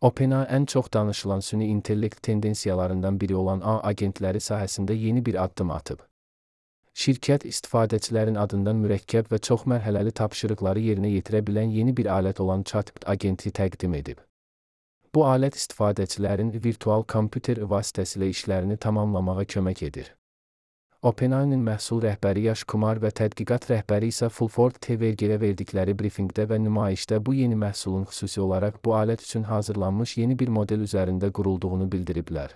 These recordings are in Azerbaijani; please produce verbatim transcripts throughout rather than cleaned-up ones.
OpenAI ən çox danışılan süni intellekt tendensiyalarından biri olan A agentləri sahəsində yeni bir addım atıb. Şirkət istifadəçilərin adından mürəkkəb və çoxmərhələli tapşırıqları yerinə yetirə bilən yeni bir alət olan Chatbot agenti təqdim edib. Bu alət istifadəçilərin virtual kompüter vasitəsilə işlərini tamamlamağa kömək edir. OpenAI-nin məhsul rəhbəri Yash Kumar və tədqiqat rəhbəri isə Fulford T V-yə verdikləri brifinqdə və nümayişdə bu yeni məhsulun xüsusi olaraq bu alət üçün hazırlanmış yeni bir model üzərində qurulduğunu bildiriblər.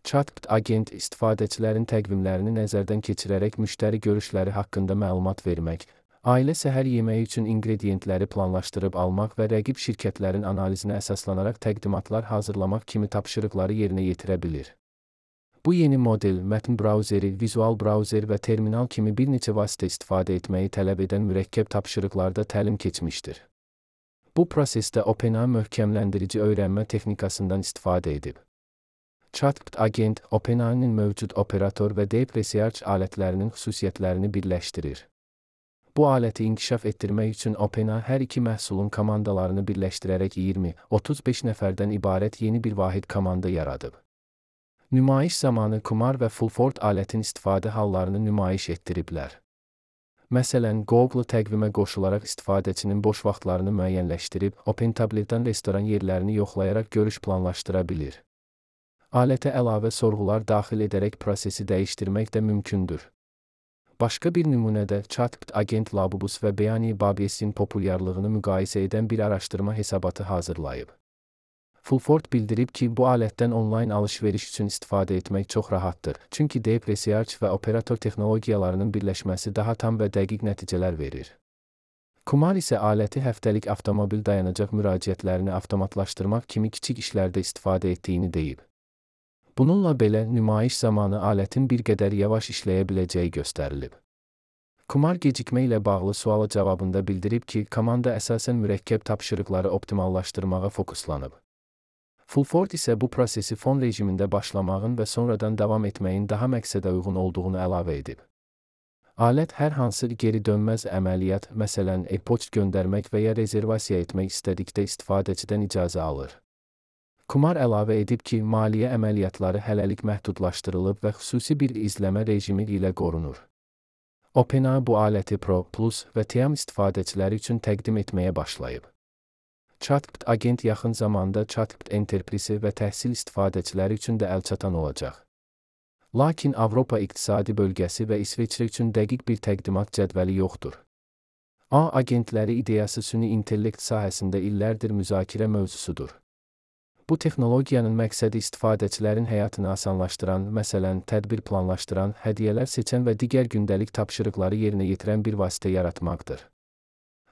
Chatbot agent istifadəçilərin təqvimlərini nəzərdən keçirərək müştəri görüşləri haqqında məlumat vermək, ailə səhər yeməyi üçün inqrediyentləri planlaşdırıb almaq və rəqib şirkətlərin analizinə əsaslanaraq təqdimatlar hazırlamaq kimi tapşırıqları yerinə yetirə bilir. Bu yeni model, mətn brauzeri, vizual brauzer və terminal kimi bir neçə vasitə istifadə etməyi tələb edən mürəkkəb tapşırıqlarda təlim keçmişdir. Bu prosesdə OpenAI möhkəmləndirici öyrənmə texnikasından istifadə edib. Chatbot agent, OpenAI-nin mövcud operator və Deep Research alətlərinin xüsusiyyətlərini birləşdirir. Bu aləti inkişaf etdirmək üçün OpenAI hər iki məhsulun komandalarını birləşdirərək iyirmi otuz beş nəfərdən ibarət yeni bir vahid komanda yaradıb. Nümayiş zamanı Kumar və Fulford alətin istifadə hallarını nümayiş etdiriblər. Məsələn, Google təqvimə qoşularaq istifadəçinin boş vaxtlarını müəyyənləşdirib, OpenTablet'dan restoran yerlərini yoxlayaraq görüş planlaşdıra bilir. Alətə əlavə sorğular daxil edərək prosesi dəyişdirmək də mümkündür. Başqa bir nümunədə Chatbot agent Labubus və Beyani Babiesin populyarlığını müqayisə edən bir araşdırma hesabatı hazırlayıb. Fulford bildirib ki, bu alətdən onlayn alış-veriş üçün istifadə etmək çox rahatdır, çünki Deep Research və operator texnologiyalarının birləşməsi daha tam və dəqiq nəticələr verir. Kumar isə aləti həftəlik avtomobil dayanacaq müraciətlərini avtomatlaşdırmaq kimi kiçik işlərdə istifadə etdiyini deyib. Bununla belə, nümayiş zamanı alətin bir qədər yavaş işləyə biləcəyi göstərilib. Kumar gecikmə ilə bağlı suala cavabında bildirib ki, komanda əsasən mürəkkəb tapşırıqları optimallaşdırmağa fokuslanıb. Fulford isə bu prosesi fon rejimində başlamağın və sonradan davam etməyin daha məqsədə uyğun olduğunu əlavə edib. Alət hər hansı geri dönməz əməliyyat, məsələn, e-poçt göndərmək və ya rezervasiya etmək istədikdə istifadəçidən icazə alır. Kumar əlavə edib ki, maliyyə əməliyyatları hələlik məhdudlaşdırılıb və xüsusi bir izləmə rejimi ilə qorunur. OpenAI bu aləti Pro, Plus və Tiam istifadəçiləri üçün təqdim etməyə başlayıb. Chatbot agent yaxın zamanda Chatbot Enterprise və təhsil istifadəçiləri üçün də əlçatan olacaq. Lakin Avropa İqtisadi Bölgəsi və İsveçrə üçün dəqiq bir təqdimat cədvəli yoxdur. A agentləri ideyası süni intellekt sahəsində illərdir müzakirə mövzusudur. Bu texnologiyanın məqsədi istifadəçilərin həyatını asanlaşdıran, məsələn, tədbir planlaşdıran, hədiyyələr seçən və digər gündəlik tapşırıqları yerinə yetirən bir vasitə yaratmaqdır.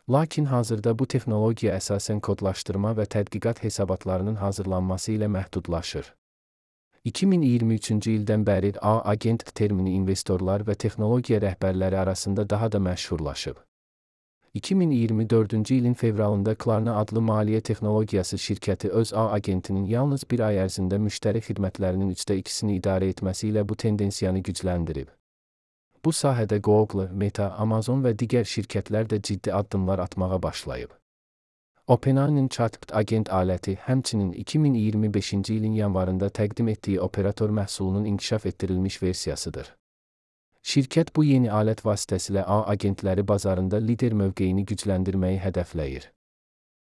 Lakin hazırda bu texnologiya əsasən kodlaşdırma və tədqiqat hesabatlarının hazırlanması ilə məhdudlaşır. iki min iyirmi üçüncü ildən bəri A agent termini investorlar və texnologiya rəhbərləri arasında daha da məşhurlaşıb. iki min iyirmi dördüncü ilin fevralında Klarna adlı maliyyə texnologiyası şirkəti öz A agentinin yalnız bir ay ərzində müştəri xidmətlərinin üçdə ikisini idarə etməsi ilə bu tendensiyanı gücləndirib. Bu sahədə Google, Meta, Amazon və digər şirkətlər də ciddi addımlar atmağa başlayıb. OpenAI-nin Chatbot agent aləti həmçinin iki min iyirmi beşinci ilin yanvarında təqdim etdiyi operator məhsulunun inkişaf etdirilmiş versiyasıdır. Şirkət bu yeni alət vasitəsilə A agentləri bazarında lider mövqeyini gücləndirməyi hədəfləyir.